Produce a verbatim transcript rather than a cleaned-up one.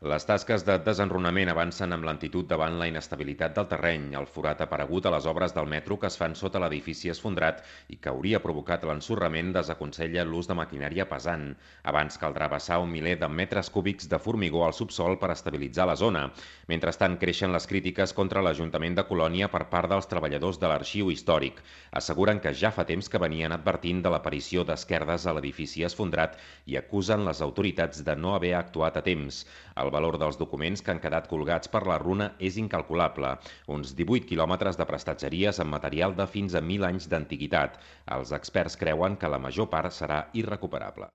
Les tasques de desenrunament avancen amb lentitud davant la inestabilitat del terreny. El forat aparegut a les obres del metro que es fan sota l'edifici esfondrat i que hauria provocat l'ensorrament desaconsella l'ús de maquinària pesant. Abans caldrà vessar un miler de metres cúbics de formigó al subsol per estabilitzar la zona. Mentrestant, creixen les crítiques contra l'Ajuntament de Colònia per part dels treballadors de l'arxiu històric. Asseguren que ja fa temps que venien advertint de l'aparició d'esquerdes a l'edifici esfondrat i acusen les autoritats de no haver actuat a temps. El valor dels documents que han quedat colgats per la runa és incalculable, uns divuit quilòmetres de prestatgeries amb material de fins a mil anys d'antiguitat. Els experts creuen que la major part serà irrecuperable.